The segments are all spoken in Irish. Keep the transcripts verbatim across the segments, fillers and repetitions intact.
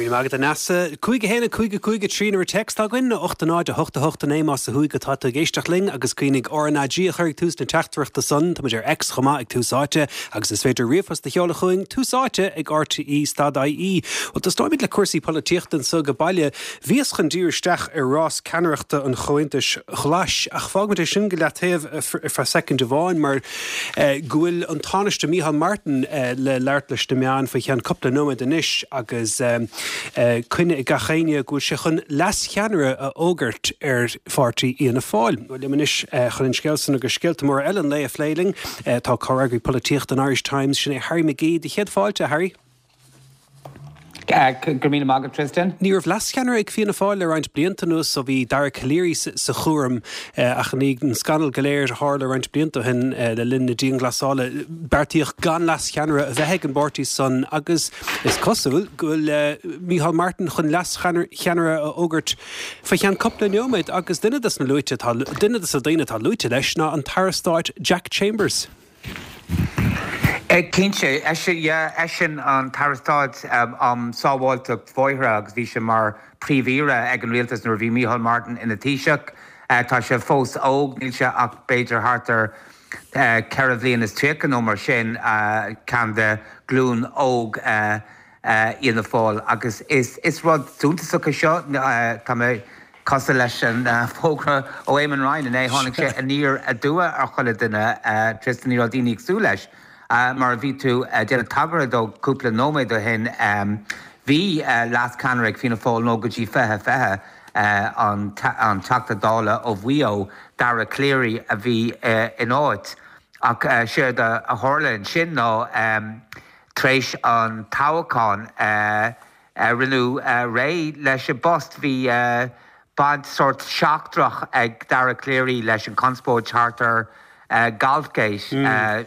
Go raibh míle maith agat, a Neasa. Cúig a haon a cúig a cúig a trí an uimhir téacs atá againn, ocht a náid a hocht a hocht a naoi más ó thuaidh atá tú ag éisteacht linn agus cuimhnigh R N A G a chur ag tús na teachtaireachta san. Táimid ar X chomh maith ag Tús Áite agus is féidir ríomhphost a sheoladh chugainn tús áite ag R T E stad I E. Well, tosnóimid le cúrsaí polaitíochta anseo go baile. Bhíos chun díriú isteach ar rás ceannaireachta an Chomhaontais Ghlais ach fágfaimid é sin go leataobh ar feadh soicind amháin mar go bhfuil an Tánaiste Micheál Martin le labhairt leis na meáin faoi cheann cúpla nóiméad anois agus coinne ag gach éinne go bhfuil sé chun leascheannaire a fhógairt ar pháirtí Fhianna Fáil. Liom anois chun an scéal san agus scéalta móra eile an lae a phlé linn tá comhfhreagraí polaitíochta an Irish Times, sin é Harry McGee. Do chéad fáilte, Harry. Go míle maith agat, Tristan. Ní raibh leascheannaire ag Fianna Fáil le roinnt blianta anuas so bhí Dara Calleary sa chúram ach ní an scannal go léir a tharla roinnt blianta shin le linn na dianghlasála beartaíodh gan leascheannaire a bheith ag an bpáirtí san agus is cosúil go bhfuil Micheál Martin chun leascheannaire a fhógairt faoi cheann cúpla nóiméad agus duine des na luaite duine des na daoine atá luaite leis ná an tAire Stáit Jack Chambers. Cinnte, eisean an tAire Stáit um sábháilteacht bóithre agus bhí sé mar phríomh-aire ag an rialtas nuair a bhí Micheál Martin ina Thaoiseach. Tá sé fós óg, níl sé ach b'fhéidir thart ar ceithre bhliain is tríocha nó mar sin, ceann de ghlúin óg Fhianna Fáil agus is is rud suntasach é seo. Tá mé cosúil leis an fógra ó Eamon Ryan inné, tháinig sé aniar aduaidh ar chuile duine, Tristan, ní raibh daoine ag súil leis. Mar a bhí tú déanamh tagartha dó cúpla nóiméad ó shin, bhí leascheannaire ag Fianna Fáil nó go dtí fiche fiche, an Teachta Dála ó Mhaigh Eo, Dara Calleary a bhí in áit ach séard a tharla ansin ná tar éis an toghcháin rinneadh réidh leis an bpost. Bhí baint sórt seachtrach ag Dara Calleary leis an conspóid thart ar Golfgate.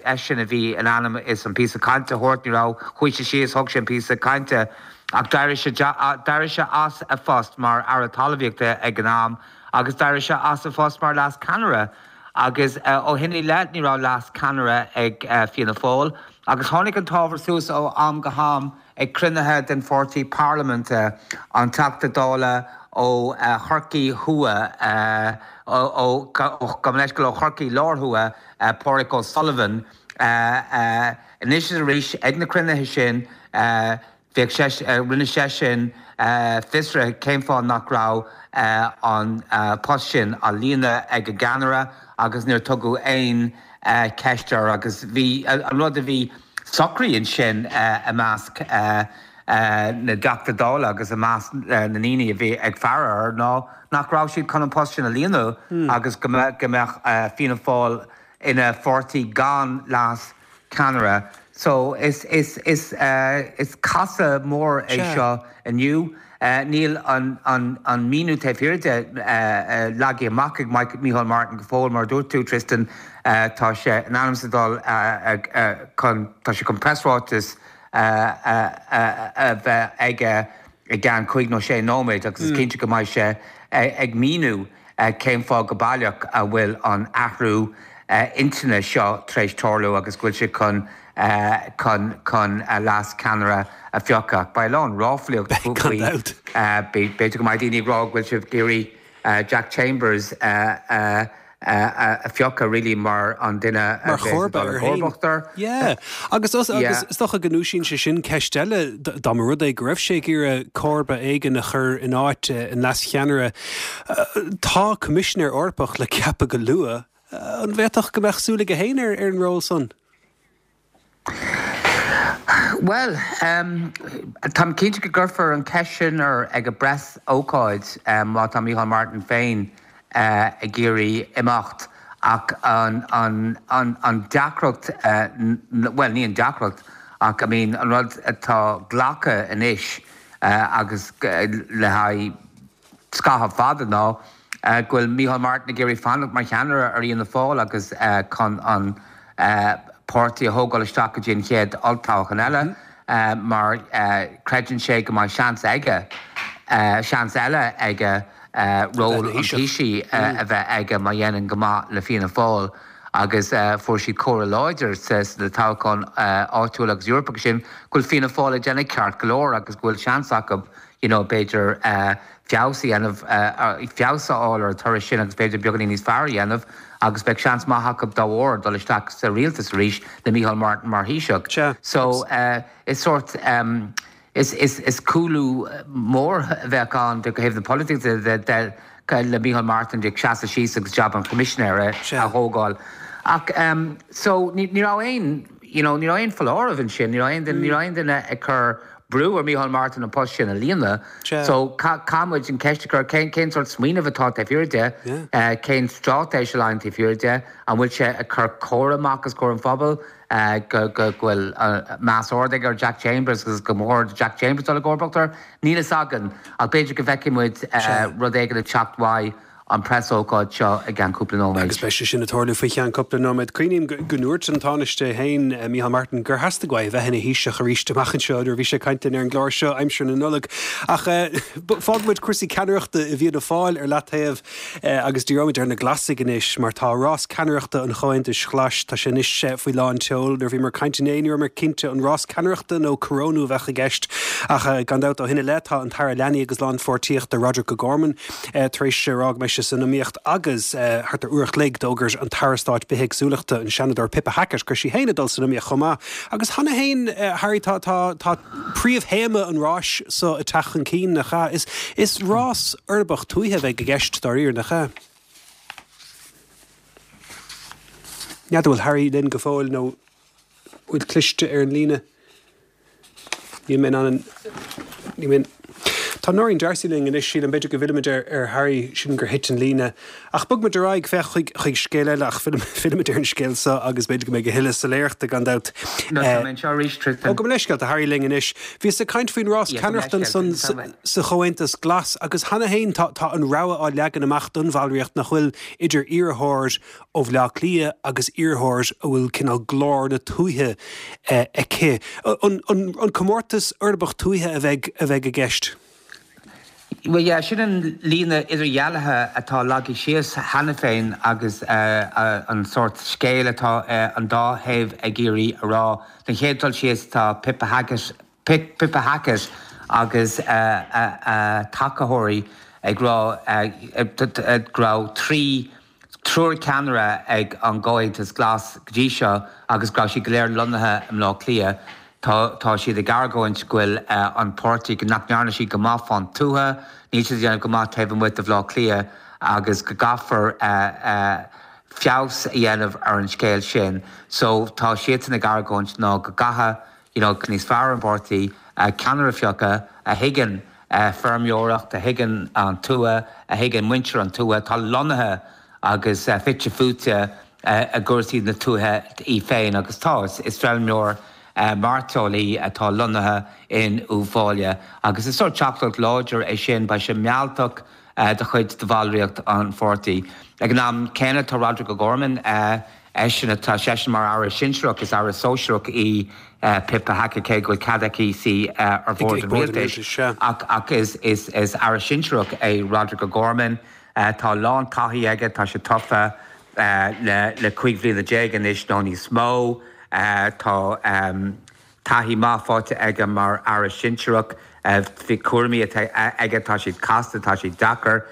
Eisean a bhí in ainm is an píosa cainte a thabhairt, ní raibh, chuaigh sé síos, thug sé an píosa cainte ach d'éirigh sé d'éirigh sé as a phost mar Aire Talmhaíochta ag an am agus d'éirigh sé as a phost mar leascheannaire agus ó shin i leith ní raibh leascheannaire ag Fianna Fáil agus tháinig an t-ábhar suas ó am go ham ag cruinnithe den pháirtí parlaiminte, an Teachta Dála ó Chorcaigh Thuaidh, ó gabh mo leithscéal, ó Chorcaigh Láir Thuaidh, Pádraig O'Sullivan. Anois is arís ag na cruinnithe sin bhíodh sé, rinne seisean fiosruithe cén fáth nach raibh an post sin á líonadh ag an gceannaire agus níor tugadh aon cheist air agus bhí an rud a bhí socraithe ansin i measc na dTeachtaí Dála agus i measc na ndaoine a bhí ag faire air ná nach raibh siad chun an post sin a líonadh agus go mbeadh Fianna Fáil ina pháirtí gan leascheannaire. So is is is is casadh mór é seo inniu. Níl an an an míniú taobh thiar de leagtha amach ag Micheál Martin go fóill, mar a dúirt tú, Tristan, tá sé in ainm is a dhul chun tá sé chun preasráiteas a bheith aige i gceann cúig nó sé nóiméad agus is cinnte go mbeidh sé ag míniú cén fáth go baileach a bhfuil an athrú intinne seo tar éis tarlú agus go bhfuil sé chun chun chun leascheannaire a phiocadh. Beidh a lán ráflaíocht faoi, b'fhéidir go mbeidh daoine ag rá go bhfuil sibh ag iarraidh Jack Chambers a a phiocadh really mar an duine a bheas ag dul i gcomharbacht air. Yeah. Agus agus is dócha go ndúisíonn sé sin ceist eile dá mba rud é go raibh sé ag iarraidh comharba éigin a chur in áit an leascheannaire. Tá Coimisinéir Eorpach le ceapadh go luath. An bhféadfadh go mbeadh súil aige féin ar ar an ról san? Bhuel, táim cinnte go gcuirfear an cheist sin air ag an bpreasócáid má tá Micheál Martin féin ag iarraidh imeacht ach an an an an deacracht, bhuel ní an deacracht ach I mean an rud atá glactha anois agus le haghaidh scaitheamh fada ná go bhfuil Micheál Martin ag iarraidh fanacht mar cheannaire ar Fhianna Fáil agus chun an páirtí a thógáil isteach go dtí an chéad olltoghchán eile mar creideann sé go mbeidh seans aige, seans eile aige ról an Taoisigh a bheith aige má dhéanann go maith le Fianna Fáil agus fuair siad comhartha láidir sna toghcháin áitiúil agus Eorpacha sin go bhfuil Fianna Fáil ag déanamh ceart go leor agus go bhfuil seans acu you know, b'fhéidir feabhas a dhéanamh, feabhas a fháil ar an toradh sin agus b'fhéidir beagáinín níos fearr a dhéanamh agus beidh seans maith acu dá bharr dul isteach sa rialtas arís le Micheál Martin mar Thaoiseach. So is sórt, is, is, is cúlú mór a bheadh ann ó thaobh na polaitíochta de le Micheál Martin ag seasamh síos agus jab an Choimisinéara a thógáil. Ach so ní raibh aon, you know, ní raibh aon foláireamh ansin, ní raibh aon duine, ní raibh aon duine ag cur brú ar Micheál Martin an post sin a líonadh. So caithfidh muid an ceist a chur, cén, cén sórt smaoineamh atá taobh thiar de, cén straitéis a luíonn taobh thiar de, an bhfuil sé ag cur comhartha amach os comhair an phobail go, go, go bhfuil meas ard aige ar Jack Chambers agus go mba chóir do Jack Chambers dul i gcomharbacht air? Níl fhios againn, ach b'fhéidir go bhfeicfidh muid rud éigin ag teacht uaidh an preasócáid seo i gceann cúpla nóiméad. Agus beidh sé sin ag tarlú faoi cheann cúpla nóiméad. Cuimhním go ndúirt an Tánaiste féin, Micheál Martin, gur theastaigh uaidh a bheith ina Thaoiseach arís amach anseo nuair a bhí sé ag caint linn ar an gclár seo aimsir na Nollag. Ach fágfaidh muid cúrsaí ceannaireachta i bhFianna Fáil ar leataobh agus díreoimid ar na Glasaigh anois mar tá rás ceannaireachta an Chomhaontais Ghlais, tá sé anois faoi lán tseoil. Nuair a bhíomar ag caint inné ní rabhamar cinnte an rás ceannaireachta nó corónú a bheadh i gceist ach gan dabht ó shin i leith tá an tAire Leanaí agus Lánpháirtíochta Roderic O'Gorman tar éis a rá go mbeidh sé san iomaíocht agus thart ar uair a chloig d'fhógair an tAire Stáit Bithéagsúlachta, an Seanadóir Pippa Hackett, go raibh sí féin ag dul san iomaíocht chomh maith. Agus cheana féin, Harry, tá, tá, tá príomhthéama an ráis so ag teacht chun cinn, nach ea? Is, is rás uirbeach tuaithe a bheidh i gceist dáiríre, nach ea? N'fheadar bhfuil Harry linn go fóill nó bhfuil cliste ar an líne. Níl mé in ann an, níl mé in. Tá Nóirín D'Arcy linn anois, sílim, b'fhéidir go bhfillfimid ar ar Harry, sílim gur thit an líne. Ach bogfaimid ar aghaidh, féach, chuig chuig scéal eile, ach fillfimid ar an scéal seo agus b'fhéidir go mbeidh a thuilleadh soiléireachta gan dabht. No, tá mé anseo arís, Tristan. Ó, gabh mo leithscéal, tá Harry linn anois. Bhíos ag caint faoin rás ceannaireachta ansan sa Chomhaontas Glas agus cheana féin tá tá an rogha á leagan amach don bhallraíocht nach bhfuil idir iarrthóir ó Bhleá Cliath agus iarrthóir a bhfuil cineál glór na tuaithe aici. An an comórtas uirbeach tuaithe a bheidh a bheidh i gceist? Bhuel, yeah, sin an líne idirdhealaithe atá leagtha síos cheana féin agus an sórt scéil atá an dá thaobh ag iarraidh a rá. Den chéad dul síos tá Pippa Hackett, Pippa Hackett agus a tacaitheoirí ag rá go raibh trí triúr ceannaire ag an gComhaontas Glas go dtí seo agus go raibh siad go léir lonnaithe i mBleá Cliath. Tá tá siad ag argóint go bhfuil an páirtí, go nach ndearna siad go maith fán tuath, níl siad ag déanamh go maith taobh amuigh de Bhleá Cliath agus go gcaithfear feabhas a dhéanamh ar an scéal sin. So tá siadsan ag argóint ná go gcaithfidh you know níos fearr an páirtí ceannaire a phiocadh a thuigeann feirmeoireacht, a thuigeann an tuath, a thuigeann muintir an tuath, atá lonnaithe agus fite fuaite i gcúrsaí na tuaithe í féin agus tá, is feirmeoir mairteola í atá lonnaithe in Uíbh Fhailí agus is sórt teachtaireacht láidir é sin, beidh sé mealltach do chuid de bhallraíocht an pháirtí. Ag an am céanna tá Roderic O'Gorman, eisean, tá seisean mar aire sinsearach, is aire sóisearach í Pippa Hackett cé go bhfuil cead aici suí ar bhord an rialtais ach is aire sinsearach é Roderic O'Gorman. Tá a lán taithí aige, tá sé tofa le cúig bhliana déag anois nó níos mó. Tá taithí maith faighte aige mar aire sinsearach. Bhí cúraimí atá aige, tá siad casta, tá siad deacair.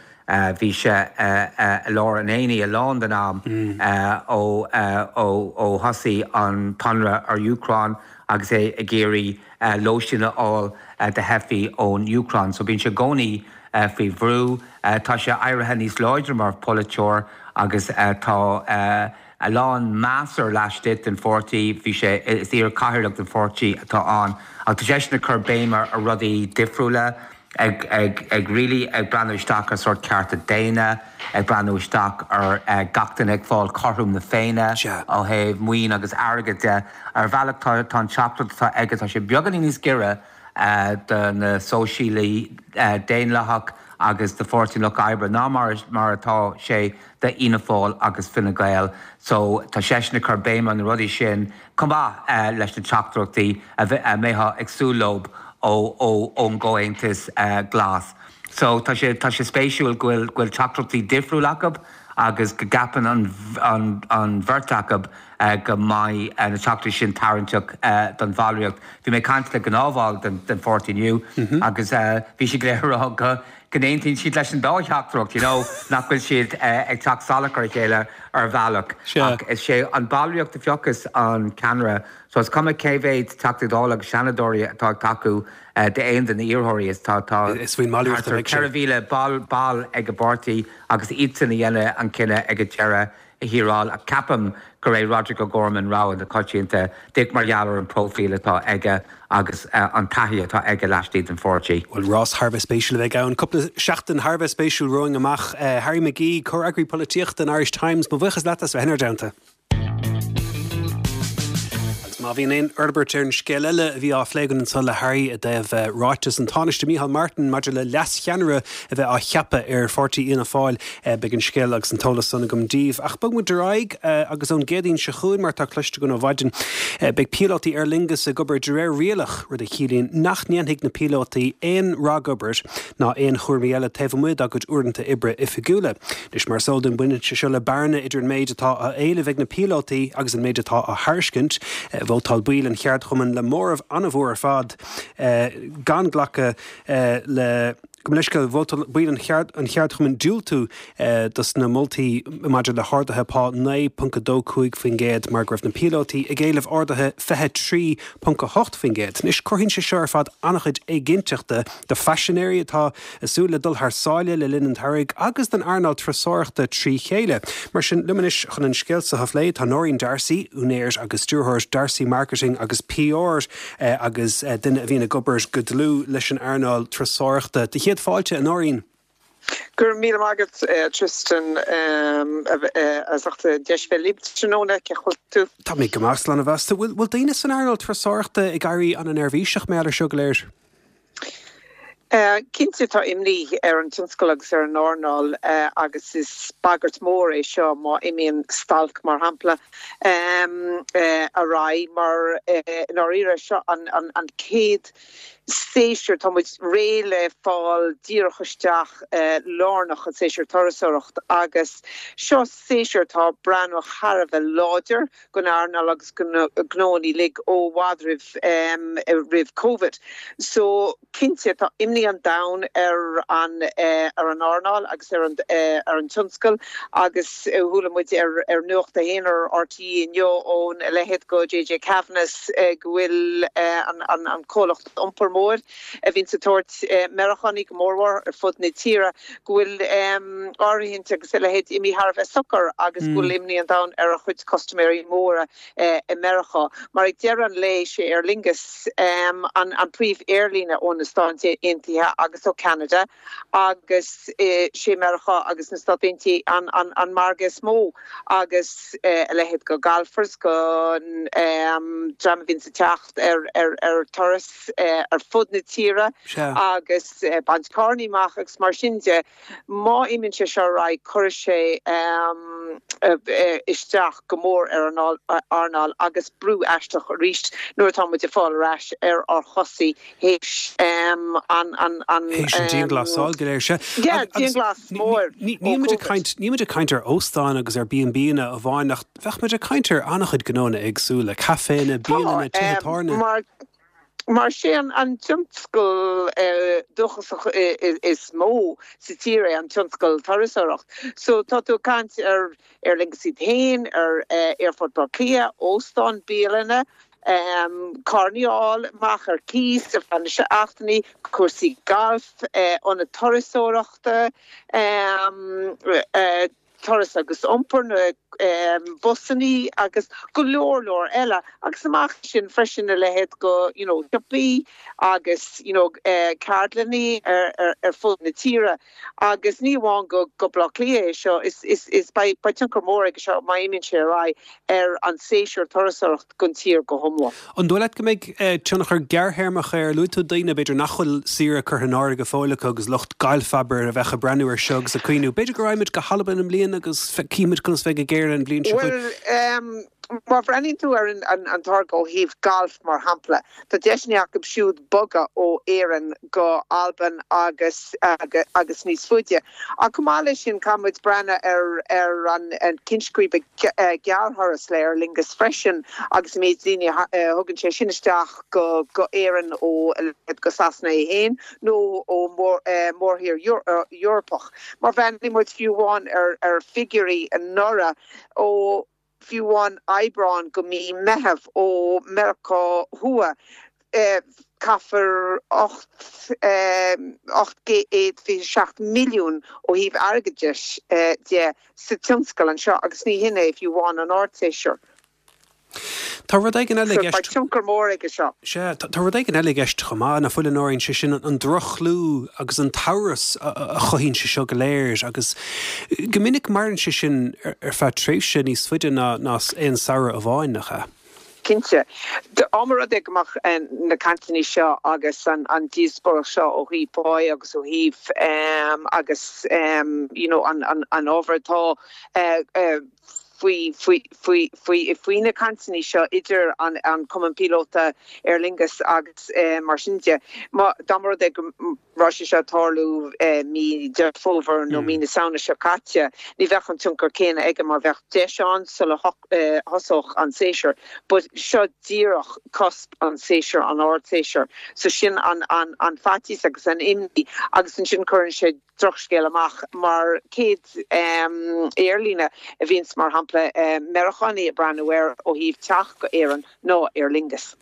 Bhí sé i lár an aonaigh a lán den am ó ó thosaigh an t-ionradh ar Úcráin agus é ag iarraidh lóistín a fháil do theifigh ón Úcráin. So bíonn sé i gcónaí faoi bhrú. Tá sé éirithe níos láidre mar pholaiteoir agus tá a lán meas air laistigh den pháirtí. Bhí sé, is iar-chathaoirleach den pháirtí atá ann. Ach tá seisean ag cur béim ar rudaí difriúla, ag, ag, ag really ag breathnú isteach ar sórt cearta daonna, ag breathnú isteach ar gach duine ag fáil cothrom na Féinne ó thaobh maoin agus airgead de. Ar bhealach tá, tá an teachtaireacht atá aige, tá sé beagáinín níos giorra do na Sóisialaigh Daonlathach agus do Pháirtí an Lucht Oibre ná mar mar atá sé do Fhianna Fáil agus Fine Gael. So tá seisean ag cur béim ar na rudaí sin chomh maith leis na teachtaireachtaí a mbeifeá ag súil leo ó ó ón gComhaontas Glas. So tá sé tá sé spéisiúil go bhfuil go bhfuil teachtaireachtaí difriúil acu agus go gceapann an, an, an bheirt acu uh, go mbeidh uh, na teachtaí sin tarraingteach uh, don bhallraíocht. Bhí mé ag caint le gnáthbhall den, den pháirtí inniu mm -hmm. agus uh, bhí sé le rá go go n-aontaíonn siad leis an dá theachtaireacht, you know, nach bhfuil siad uh, ag teacht salach ar a chéile ar bhealach. Ach is é an bhallraíocht a phiocfas an ceannaire, so is cuma cé mhéad Teachtaí Dála agus Seanadóirí atá ag tacú uh, d'aon de na hiarrthóirí is tá tá Is faoin mballraíocht a bheidh sé. ceithre mhíle ball ball ag an bpáirtí agus iadsan a dhéanfaidh an cinneadh ag an deireadh thiar thall ach ceapaim gur é Roderic O'Gorman rogha na coitianta díreach mar gheall ar an próifíl atá aige agus uh, an taithí atá aige laistigh den pháirtí. Bhuel rás thar a bheith spéisiúil a bheidh ann. Cúpla seachtain thar a bheith spéisiúil romhainn amach uh, Harry McGee, comheagraí polaitíochta an Irish Times, mo bhuíochas leat as bheith inár dteannta. Agus má bhíonn aon fhorbairt ar an scéal eile a bhí á phlé againn anseo le Harry i dtaobh eh, ráiteas an Tánaiste Micheál Martin maidir le leascheannaire a bheith á cheapadh ar pháirtí Fhianna Fáil eh, beidh an scéal agus an t-eolas san agam daoibh. Ach bog muid ar aghaidh eh, agus ón gCéadaoin seo chugainn mar tá cloiste againn ó mhaidin beidh píolótaí Aer Lingus ag obair de réir rialach rud a chiallaíonn nach ndéanfaidh na píolótaí aon ragobair ná aon chúraimí eile taobh amuigh dá gcuid uaireanta oibre oifigiúla. Anois mar is eol dúinn baineann sé seo le bearna idir an méid atá á éileamh ag na píolótaí agus an méid atá á thairiscint, vótáil baill an cheardchumainn le móramh an-mhór ar fad eh, gan glacadh eh, le go leis go vótáil baill an cheard an cheardchumainn diúltú eh, dos na moltaí maidir le harduithe pá naoi ponc dó cúig faoin gcéad mar go raibh na píolótaí ag éileamh arduithe fiche trí ponc a hocht faoin gcéad. Anois cruthaíonn sé seo ar fad an-chuid éiginnteachta do phaisinéirí atá ag súil le dul thar sáile le linn an tsamhraidh agus don earnáil turasóireachta trí chéile. Mar sin liom anois chun an scéal seo a phlé tá Noreen Darcy, úinéir agus stiúrthóir Darcy Marketing agus PR eh, agus eh, duine a bhíonn ag obair go dlúth leis an earnáil turasóireachta. De chéad fáilte a Noreen. Gur mí agat uh, Tristan um, as ucht deis bheith libh tráthnóna cén chaoi a bhfuil tú. Tá mé go maith slán a mheas. Bhfuil bhfuil daoine san earnáil turasóireachta ag éirí an-neirbhíseach mar seo go léir. Uh, Cinnte tá imní ar an tionscal agus ar an earnáil uh, agus is bagairt mór é seo má imíonn stailc mar shampla um, uh, a rá mar uh, náíre seo an, an, an céad séasúr tá muid réidh le fáil díreach isteach uh, lárnach an séasúr turasóireacht agus seo séasúr tá breathnú thar a bheith láidir don earnáil agus gnónna uilig ó i bhfad roimh um, roimh COVID. So cinnte tá imní an domhain ar an uh, ar an earnáil agus ar an uh, ar an tionscal agus uh, chuala muid ar ar Nuacht a hAon ar RTÉ inniu ón leithéid go JJ Kavanagh uh, go bhfuil uh, an, an, an comhlacht iompair mór a bhíonn ag tabhairt uh, Meiriceánaigh go mórmhór ar fud na tíre go bhfuil um, áirithint agus a leithéid imithe thar a bheith socair agus mm. go bhfuil imní an domhain ar a chuid custaiméirí móra uh, i Meiriceá. Mar ag deireadh an lae sé Aer Lingus um, an, an príomh-aerlíne ó na Stáit Aontaithe agus ó Canada agus eh, sé Meiriceá agus na Stáit Aontaithe an, an, an margadh is mó agus eh, a leithéid go golfers go um, dream a bhíonn ag teacht ar, ar, ar turas eh, ar fud na tíre agus eh, baint carranna amach agus mar sin de má imíonn sé seo ra chuir sé um, uh, isteach go mór ar an earnáil agus brú isteach arís nuair atá muid ag fáil ar ais ar ár gcosa théis um, an an an dianghlasáil go léir sé. Dianghlas mór. Ní muid ag caint ar óstáin agus ar B&Banna amháin ach bheadh muid ag caint ar an-chuid gnónna éagsúla, caiféanna, bialanna, tithe tábhairne. Mar sé an an tionscal uh, dúchasach is mó sa tír é an tionscal turasóireacht. So tá tú ag caint ar Aer Lingus iad féin ar uh, Aerfort Bhaile Átha Cliath, óstán bialanna, um, carranna a fháil amach ar cíos ar feadh na seachtainí, cúrsaí galf, uh, ionaid turasóireachta, um, uh, turas agus iompar na um, busanna agus go leor leor eile agus amach sin freisin a leithéid go you know, siopaí agus you know, uh, ceardlanna ar, ar, ar fud na tíre agus ní amháin go go Baile Átha Cliath é seo is, is, is beidh tionchar mór ag seo má imíonn sé ar aghaidh ar an séasúr turasóireacht don tír go hiomlán. An dóigh leat go mbeidh eh, tionchar gearrthéarmach ar luaigh tú daoine b'fhéidir nach bhfuil saoire curtha in áirithe go fóill acu agus lucht gailf abair a bheith ag breathnú ar seo agus ag cuimhneamh. B'fhéidir go raghaimid go hAlbain i mbliana agus cífimid conas a bheidh ag éirí an bhliain seo. Well, um, Má bhreathnaíonn tú ar an táirge ó thaobh galf mar shampla, tá deiseanna acu siúd bogadh ó Éirinn go Albain agus agus níos faide. Ach chomh maith leis sin caithfidh muid breathnú ar ar an ceann scríbe gearrthuras le Aer Lingus freisin agus an méid daoine a thugann sé sin isteach go go Éirinn ó go Sasana é féin nó ó mórthír Eorpach. Má bhreathnaíonn muid fiú amháin ar ar figiúirí anuraidh ó fiú amháin Aibreán go mí Meitheamh ó Meiriceá Thuaidh, caithfear ocht ocht gcéad fiche seacht milliún ó thaobh airgeadais de sa tionscal anseo agus ní hin é fiú amháin an ardséasúr. Tá rud éigin eile i gceist. Beidh tionchar mór aige seo. Sea, tá rud éigin eile i gceist chomh maith, nach bhfuil, a Nóirín, sé sin an droch-chlú agus an t-amhras a chothaíonn sé seo go léir agus go minic maireann sé sin ar feadh tréimhse níos faide ná aon samhradh amháin, nach ea? Cinnte. Dá mba rud é go mbeadh na cainteanna seo agus an díospóireacht seo ó thaobh páí agus ó thaobh agus you know an ábhar atá faoi faoi faoi faoi faoi na cainteanna seo idir an an Cumann Píolóta Aer Lingus agus mar sin de. Má dá mba rud é go raibh sé seo ag tarlú mí Deireadh Fómhair nó mí na Samhna seo caite, ní bheadh an tionchar céanna aige mar bheadh deis ann sula thosódh an séasúr. But seo díreach cusp an séasúr, an ardséasúr. So sin an an an faitíos agus an imní agus ansin cuireann sé drochscéal amach mar chéad aerlíne a bhíonns mar shampla Meiriceánaigh ag breathnú air ó thaobh teacht go Éirinn ná Aer Lingus.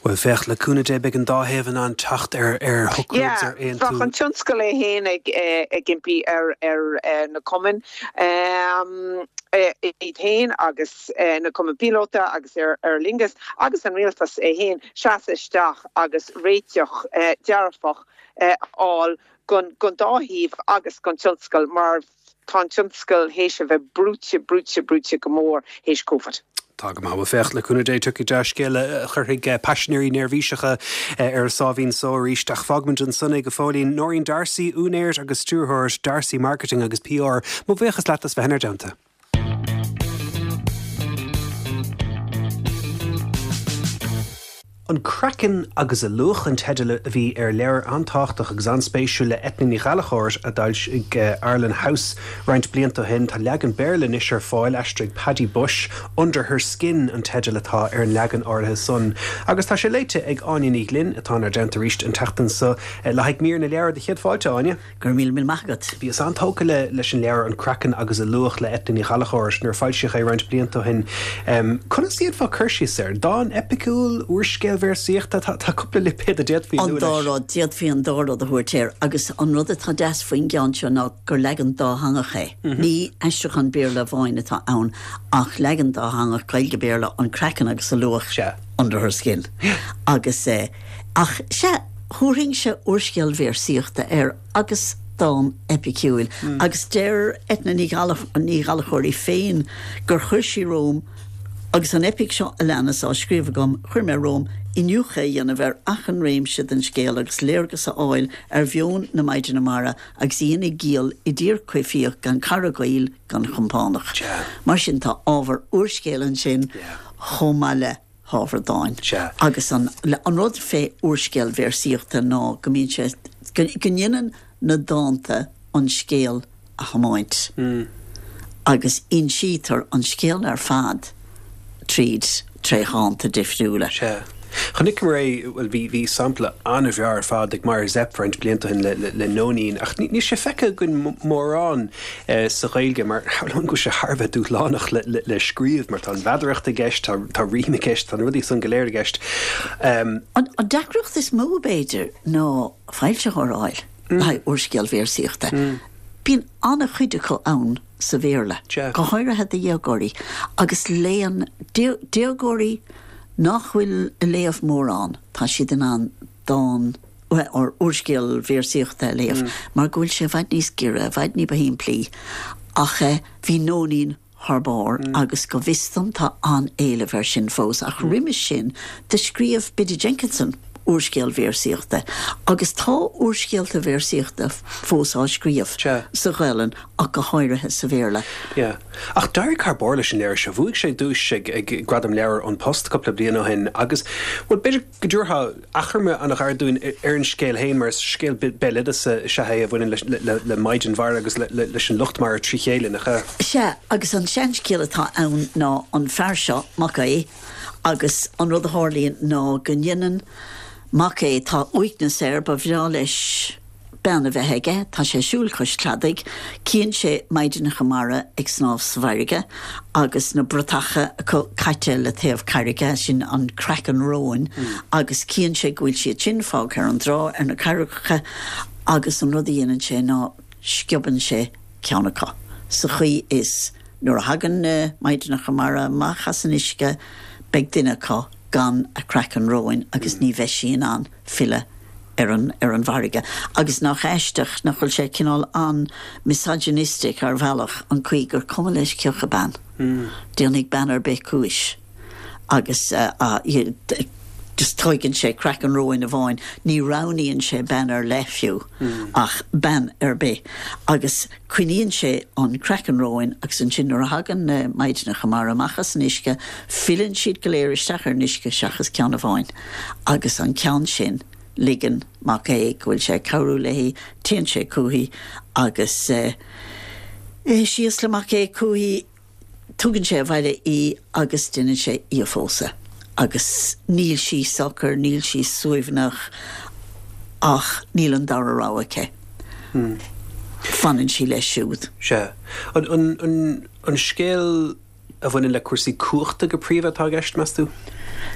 Bhuel, féach, le cúnamh Dé beidh an dá thaobh in ann teacht ar ar shocrú agus ar aontú. Bheadh an tionscal é féin ag ag impí ar ar na cumainn iad féin agus na cumainn píolóta agus ar Aer Lingus agus an rialtas é féin seasamh isteach agus réiteach dearfach a fháil gon dá thaobh agus gon tionscal mar tá an tionscal théis a bheith brúite, brúite, brúite go mór théis Covid. Tá go maith. Bhuel féach, le cúnamh Dé tiocfaidh dea-scéala a chuirfidh paisinéirí neirbhíseacha ar a sáimhín só arís. Ach fágfaimid ansan é go fóillín. Nóirín D'Arcy, úinéir agus stiúrthóir D'Arcy Marketing agus PR, mo bhuíochas leat as bheith inár dteannta. An Craiceann agus a Luach an teideal a bhí ar leabhar an-tábhachtach agus an-spéisiúil le Eithne Ní Ghallchóir a d'fhoilsigh Arlen House roinnt blianta ó shin. Tá leagan Béarla anois ar fáil, aistrigh Paddy Bushe. Under Her Skin an teideal atá ar an leagan áirithe san. Agus tá sé léite ag Áine Ní Ghlinn atá inár dteannta arís an tseachtain seo le haghaidh mír na leabhar do chéad fáilte, Áine. Go raibh míle míle maith agat. Bhíos an-tógtha le leis an leabhar An Craiceann agus a Luach le Eithne Ní Ghallchóir nuair a foilsíodh é roinnt blianta ó shin. Conas a d'fhéadfá cur síos air? Dán eipiciúil, úrscéal véarsaíochta? Tá tá cúpla lipéad a d'fhéadfaí a An lua dá leis. rud, d'fhéadfaí an dá rud a thabhairt air agus an rud atá deas faoin gceann seo ná gur leagan dátheangach é. Ní aistriúchán Béarla amháin atá ann ach leagan dátheangach Gaeilge-Béarla An Craiceann agus a Luach Sea. Under Her Skin. Agus eh, ach sea, Thabharfainnse úrscéal véarsaíochta air agus dán eipiciúil, agus deir Eithne Ní Ghallchóir í féin gur chuir sí romham, Agus an eipic seo a leanas á scríobh agam, chuir mé romham iniúchadh a dhéanamh ar achan réimse den scéal agus léargas a fháil ar mheon na Maighdeana Mara agus í ina giall i dtír choimhthíoch gan cara gaoil gan chompánach. Mar sin tá ábhar úrscéil ansin chomh maith le hábhar dáin. Agus an an rud fé úrscéal véarsaíochta ná go mbíonn sé, go ndéanann na dánta an scéal a thiomáint agus insítear an scéal ar fad tríd tré dhánta difriúla. Sea. Chonaiceamar é, bhuel, bhí, bhí sampla an-bhreá ar fad ag Máire Zepf roinnt blianta ó shin le, le, le Nóinín, ach ní, níl sé feicthe againn mórán sa Ghaeilge mar shamhlóinn go bhfuil sé thar a bheith dúshlánach le, le, le scríobh mar tá an mheadaracht i gceist, tá, tá rím i gceist, tá na rudaí san go léir i gceist. An, an deacracht is mó, b'fhéidir, ná foilsitheoir a fháil le haghaidh úrscéal véarsaíochta. Bíonn an-chuid acu ann sa Bhéarla, go háirithe do dhéagóirí, agus léann déagóirí nach bhfuil ag léamh mórán, tá siad in ann dán or úrscéal véarsaíochta a léamh mar go bhfuil sé i bhfad níos giorra, i bhfad ní ba shimplí. Ach bhí Nóinín thar barr agus go bhfios dom tá an-éileamh air sin fós. Ach roimis sin do scríobh Biddy Jenkinson úrscéal véarsaíochta. Agus tá úrscéalta véarsaíochta fós á scríobh sa Ghaelainn ach go háirithe sa Bhéarla. Yeah. Ach d'éirigh thar barr leis an leabhar seo bhuaigh sé duais ag ag Gradam Leabhar An Post cúpla bliain ó shin agus well b'fhéidir go dtabharfá achoimre an-ghairid dúinn ar an scéal féin mar is scéal béaloideasa is ea é a bhaineann le le maighdean mhara agus leis an lucht mara trí chéile nach ea? Sea, agus an seanscéal atá ann ná an fear seo, Mac Aodha, agus an rud a tharlaíonn ná go ndéanann Mac Aodha, tá uaigneas air, ba bhreá leis bean a bheith aige, tá sé ag siúl cois cladaigh, cíonn sé maighdeanacha mara ag snámh sa bhfarraige agus na bratacha acu caite le taobh carraige, sin an craiceann róin, agus cíonn sé go bhfuil siad sin fágtha ar an dtrá ar na carraigeacha agus an rud a dhéanann sé ná sciobann sé ceann acu sa chaoi is nuair a thagann na maighdeanacha mara amach as an uisce beidh duine acu gan a craiceann róin agus ní bheidh sí in ann filleadh ar an ar an bhfarraige. Agus nach aisteach nach bhfuil sé cineál an-misogynistic ar bhealach an chaoi gur cuma leis cé acu bean. Déanfaidh bean ar bith cúis agus just tóigeann sé craiceann róin amháin, ní roghnaíonn sé bean ar leith fiú ach bean ar bith. Agus coinníonn sé an craiceann róin agus ansin nuair a thagann na maighdeanacha mara amach as an uisce, filleann siad go léir isteach ar an uisce seachas ceann amháin. Agus an ceann sin, ligeann Mac Aodha go bhfuil sé ag cabhrú léi, téann sé chuici agus eh, síos le Mac Aodha chuici, tugann sé abhaile í agus déanann sé í a phósadh. Agus níl sí socair, níl sí suaimhneach ach níl an dara rogha aici. Fanann sí leis siúd. Sea. An, an, an, an scéal a bhaineann le cúrsaí cumhachta go príomha atá i gceist, meas tú?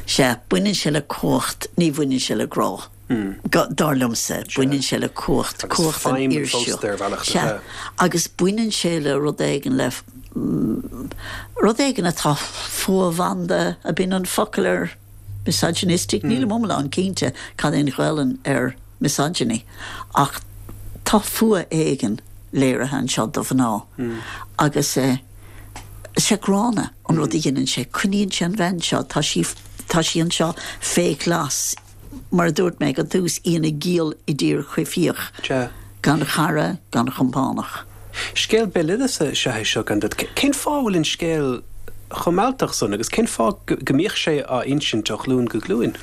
Sea, baineann sé le cumhacht, ní bhaineann sé le grá. Dar liomsa, baineann sé le cumhacht, cumhacht an fhir seo. Sea, agus baineann sé le rud éigin le rud éigin atá fuathbhanda ab in an focal ar misogynistic, nílim iomlán cinnte cad é an Ghaelainn ar misogyny, ach tá fuath éigin léirithe anseo do mhná. Agus eh, sé gránna an rud a dhéanann sé, coinníonn sé an bhean seo, tá sí tá sí anseo fé ghlas, mar a dúirt mé ag an tús, í ina giall i dtír choimhthíoch, gan chara, gan chompánach. Scéal béaloideasa is ea é seo gan dabht. Cén fáth a bhfuil an scéal chomh mealltach san agus cén fáth go mbíodh sé á insint ó ghlúin go glúin?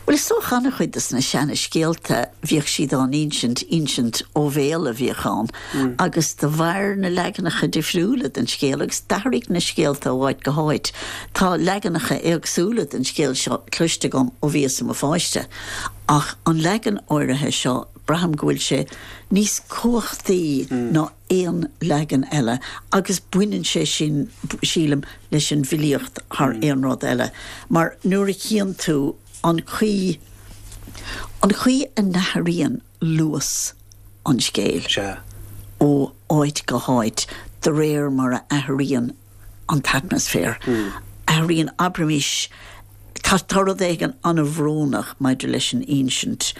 Bhuel, is dócha an-chuid de na seana-scéalta, bhíodh siad á n-insint, insint ó bhéal a bhíodh ann, agus de bharr na leaganacha difriúla den scéal, agus d'athraigh na scéalta ó áit go háit, tá leaganacha éagsúla den scéal seo cloiste agam ó bhíos i mo pháiste, ach an leagan áirithe seo, braithim go bhfuil sé níos cumhachtaí ná aon leagan eile agus baineann sé sin, sílim, leis an bhfilíocht thar aon rud eile mar nuair a chíonn tú an chaoi, an chaoi a n-athraíonn luas an scéil ó áit go háit de réir mar a athraíonn an t-atmaisféar, athraíonn, abraimis, Tá tá rud éigin an-bhrónach maidir leis an insint.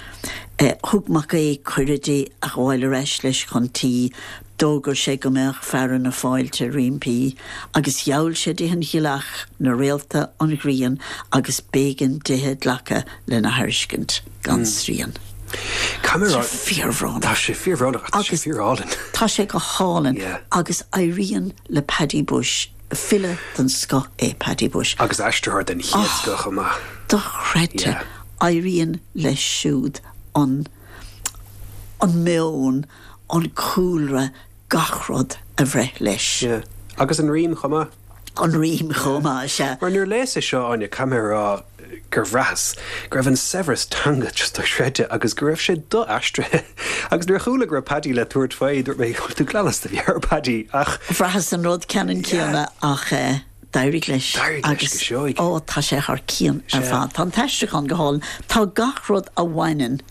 Thug Mac Aodh cuireadh di a ghabháil ar ais leis chun tí, d'fhógair sé go mbeadh fearadh na fáilte roimpi, agus gheall sé di an ghealach, na réalta, an ghrian, agus b'éigean dithe glacadh lena thairiscint gan srian. Tá sé fíorbhrónach. Tá sé fíorbhrónach ach tá sé fíorálainn. Tá sé go hálainn agus éiríonn le Paddy Bushe File den scoth é Paddy Bushe. Agus aistritheoir den chéad scoth chomh maith. Dochreidte. Éiríonn leis siúd an an meon, an cúlra, gach rud a bhreith leis. Yeah. Agus an rím chomh maith. An rím chomh maith, sea. Mar nuair a léas é seo, Áine, caithfidh mé a rá gur bhraitheas go raibh an saibhreas teanga just dochreidte agus go raibh sé do-aistrithe. Agus nuair a chuala go raibh Paddy le tabhairt faoi, dúirt mé, bhfuil tú glan as do mheabhair, Paddy, ach. Bhraitheas an rud ceannann céanna ach d'éirigh leis. D'éirigh leis go seoigh. Ó, tá sé thar cionn ar fad. Tá an t-aistriúchán go hálainn. Tá gach rud a bhaineann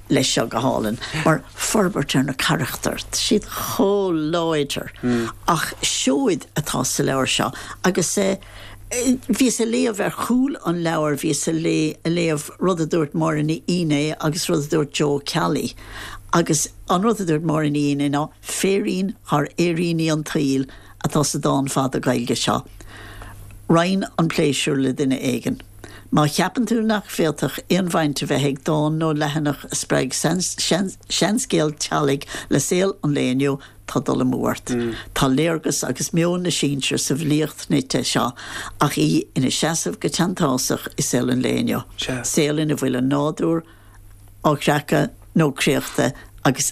leis seo go hálainn, mar forbairt ar na carachtair, tá siad chomh láidir. Ach seoid atá sa leabhar seo agus bhíos ag léamh ar chúl an leabhair, bhíos ag léamh rud a dúirt Máire Ní Fhinné agus rud a dúirt Joe Ó Ceallaigh agus an rud a dúirt Máire Ní Fhinné ná féirín thar fhéiríní an tsaoil atá sa dán fada Gaeilge seo. Roinn an pléisiúr le duine éigin. Má cheapann tú nach bhféadfadh aon bhaint a bheith ag dán nó leathanach a spreag seanscéal teaghlaigh le saol an lae inniu, tá dul amú ort. Tá léargas agus meon na sinsear sa bhfilíocht nite seo ach í ina seasamh go teanntásach i saol an lae inniu, saol ina bhfuil an nádúr á chreachadh nó créachta agus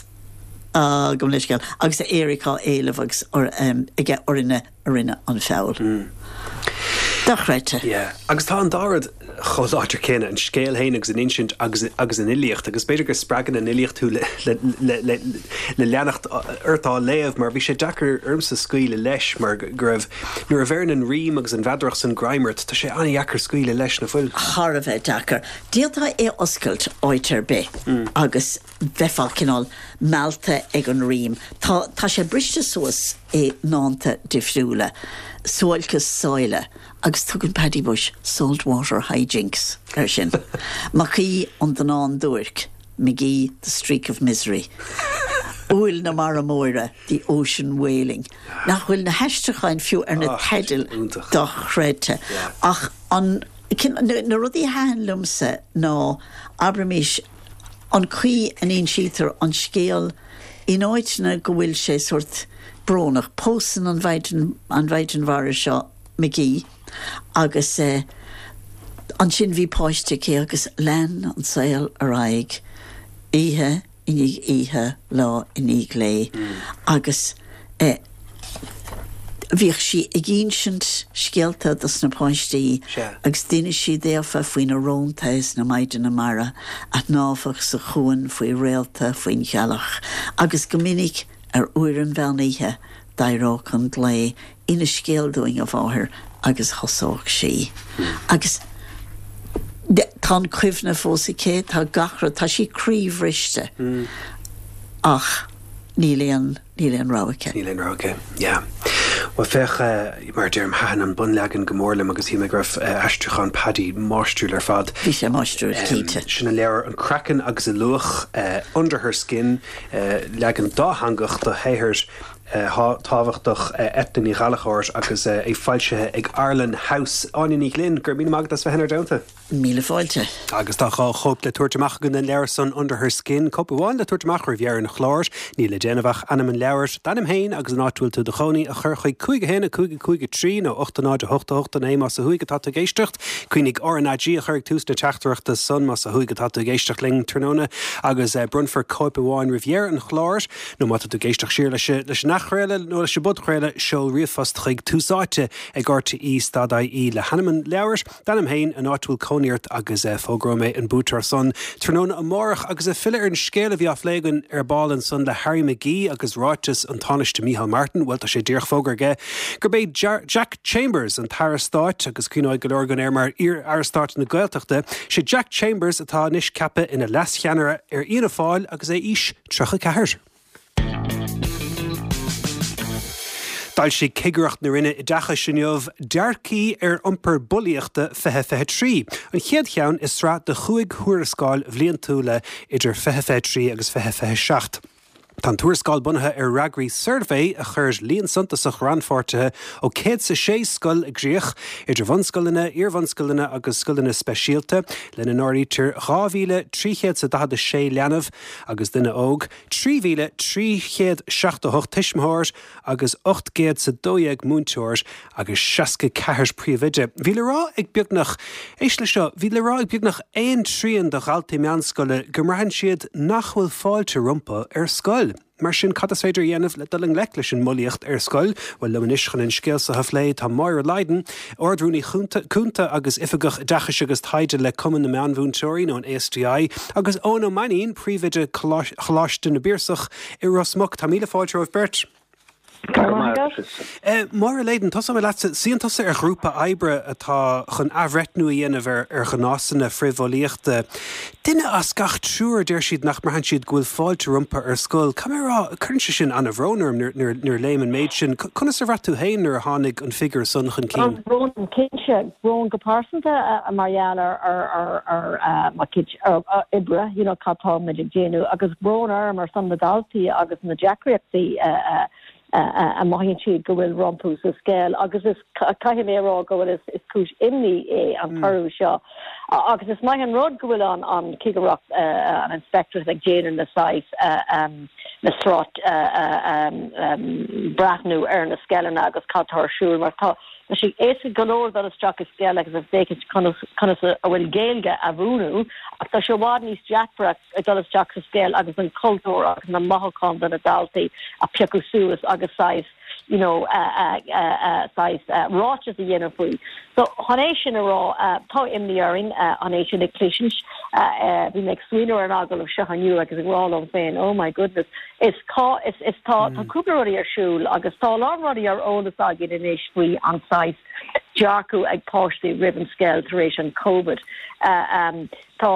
gabh mo leithscéal, agus a éiric á éileamh agus aige orainne a rinne an feall. Dochreidte. Yeah. Agus tá an dá rud chomh láidir céanna, an scéal féin agus an insint agus agus an fhilíocht, agus b'fhéidir go spreagann an fhilíocht thú le le le le le leanacht ort á léamh, mar bhí sé deacair ormsa scaoileadh leis mar go raibh, nuair a bheireann an rím agus an mheadaracht san greim ort, tá sé an-dheacair scaoileadh leis, nach bhfuil? Thar a bheith deacair. D'fhéadfá é a oscailt áit ar bith agus bheifeá cineál meallta ag an rím. Tá, tá sé briste suas i ndánta difriúla, Suáilceas Sáile, agus tugann Paddy Bushe 'saltwater hijinks' air sin. Mac Aoidh an Donnán Duairc, McGee, the streak of misery. Uaill na Mara Móire, the ocean wailing. Nach bhfuil na haistriúcháin fiú ar na teidil dochreidte. Ach an, na rudaí a thaitin liomsa ná, abraimis, an chaoi a n-insítear an scéal in áiteanna go bhfuil sé sórt brónach. Pósann an mhaighdean, an mhaighdean mhara seo McGee agus ansin bhí páiste aici agus lean an saol ar aghaidh oíche i ndiaidh oíche, lá i ndiaidh lae agus eh, Bhíodh sí ag insint scéalta dos na páistí agus d'inis sí daofa faoi na rónta is na maighdeana mara a shnámhadh sa chuan faoi réalta, faoin ghealach agus go minic ar uair an mheán oíche d'éireodh an glao, 'Inis scéal dúinn, a mháthair' agus thosódh sí. Agus tá an chuimhne fós aici, tá gach rud, tá sí croíbhriste ach níl aon. Níl aon rogha aici. Níl aon rogha aici. Yeah. Bhuel, féach, mar a deirim, thaitin an bunleagan go mór liom agus shíl mé go raibh aistriúchán Paddy máistriúil ar fad. Bhí sé máistriúil, cinnte. Sin an leabhar An Craiceann agus a Luach, Under Her Skin, leagan dátheangach de shaothar tábhachtach Eithne Ní Ghallchóir agus é foilsithe ag Arlen House. Áine Ní Ghlinn, go raibh míle maith agat as bheith inár dteannta. Míle fáilte. Agus tá dhá chóip le tabhairt amach againn den leabhar san, Under Her Skin, cóip amháin le tabhairt amach roimh dheireadh an chláir. Níl le déanamh ach ainm an leabhair, d'ainm féin agus an áit a bhfuil tú i do chónaí a chur chuig cúig a haon a cúig a cúig a trí nó ocht a náid a hocht a hocht a naoi más ó thuaidh atá tú ag éisteacht. Cuimhnigh RnaG a chur ag tús na teachtaireachta san más ó thuaidh atá tú ag éisteacht linn tráthnóna agus bronnfar cóip amháin roimh dheireadh an chláir. Nó má tá tú ag éisteacht siar leis an athchraoladh nó leis an bpodchraoladh, seol ríomhphost chuig Tús Áite ag rte stad ie le hainm an leabhair, D'ainm féin, an áit a bhfuil cónaí ort agus fógróidh mé an buaiteoir san tráthnóna amárach. Agus ag filleadh ar an scéal a bhí á phlé againn ar ball ansan le Harry McGee agus ráiteas an Tánaiste Micheál Martin, bhuel tá sé díreach fógartha aige gurb é Jack Chambers an tAire Stáit agus cuimhneoidh go leor againn air mar iar-Aire Stáit na Gaeltachta. Sé Jack Chambers atá anois ceaptha ina leascheannaire ar Fhianna Fáil agus é aois tríocha ceathair. D'fhoilsigh Cigireacht na Roinne Oideachais inniu Dearcthaí ar Iompar Bulaíochta fiche fiche trí, an chéad cheann i sraith de chúig thuarascáil bhliantúla idir fiche fiche trí agus fiche fiche seacht. Tá an tuarascáil bunaithe ar fhreagraí suirbhé a chuir líon suntasach rannpháirtithe ó céad 's a sé scoil i gcrích, idir bhunscoileanna, iarbhunscoileanna agus scoileanna speisialta, lena n-áirítear dhá mhíle trí chéad 's a daichead a sé leanbh agus duine óg, trí mhíle trí chéad seachtó hocht tuismitheoir agus ocht gcéad 's a dó dhéag múinteoir agus seasca ceathair príomhoide. Bhí le rá ag beagnach, éist leis seo, bhí le rá ag beagnach aon trian de dhaltaí meánscoile go mbraitheann siad nach bhfuil fáilte rompu ar scoil. Mar sin, cad is féidir a dhéanamh le dul i ngleic leis an mbulaíocht ar scoil? Bhuel, liom anois chun an scéal seo a phlé tá Máire Lydon, Ard-Rúnaí Cúnta agus Oifigeach Oideachais agus Taighde le Cumann na Meánmhúinteoirí, nó an ASTI, agus Eoin Ó Mainnín, Príomhoide Choláiste na bPiarsach i Ros Muc. Tá míle fáilte romhaibh beirt. Go raibh maith agat. Máire Lydon, tosóidh mé leatsa. Suíonn tusa ar ghrúpa oibre atá chun athbhreithniú a dhéanamh ar ar ghnásanna frithbhulaíochta. Duine as gach triúr, a deir siad, nach mbraitheann siad go bhfuil fáilte rompu ar scoil. Caithfidh mé a rá, cuireann sé sin an-bhrón orm nuair nuair a léim an méid sin. Conas ar bhraith tú féin nuair a tháinig an figiúr san chun cinn? Brón, cinnte. Brón go pearsanta mar gheall ar ar ar mo chuid oibre, you know, cad tá muid ag déanamh, agus brón orm ar son na daltaí agus na deacrachtaí a mothaíonn siad go bhfuil rompu sa scoil agus is caithfidh mé a rá go bhfuil is is cúis imní é an toradh seo. Agus is maith an rud go bhfuil an an cigireacht an inspectorate ag déanamh na saghas na sráid breathnú ar na scoileanna agus cad tá ar siúl mar tá Tá sé éasca go leor dul isteach i scoil agus a féachaint conas conas a bhfuil Gaeilge á múineadh ach tá sé i bhfad níos deacra ag dul isteach sa scoil agus an cultúr agus na mothúcháin do na daltaí a phiocadh suas agus saghas you know saghas ráiteas a dhéanamh faoi. So chun é sin a rá tá imní orainn an é sin ag cloisint bhí mé ag smaoineamh ar an agallamh seo inniu agus ag rá liom féin oh my goodness is cá is is tá tá cúpla rudaí ar siúl agus tá a lán rudaí ar eolas againn anois faoi an saghas dearcadh ag páistí roimh an scoil tar éis an COVID. Um, tá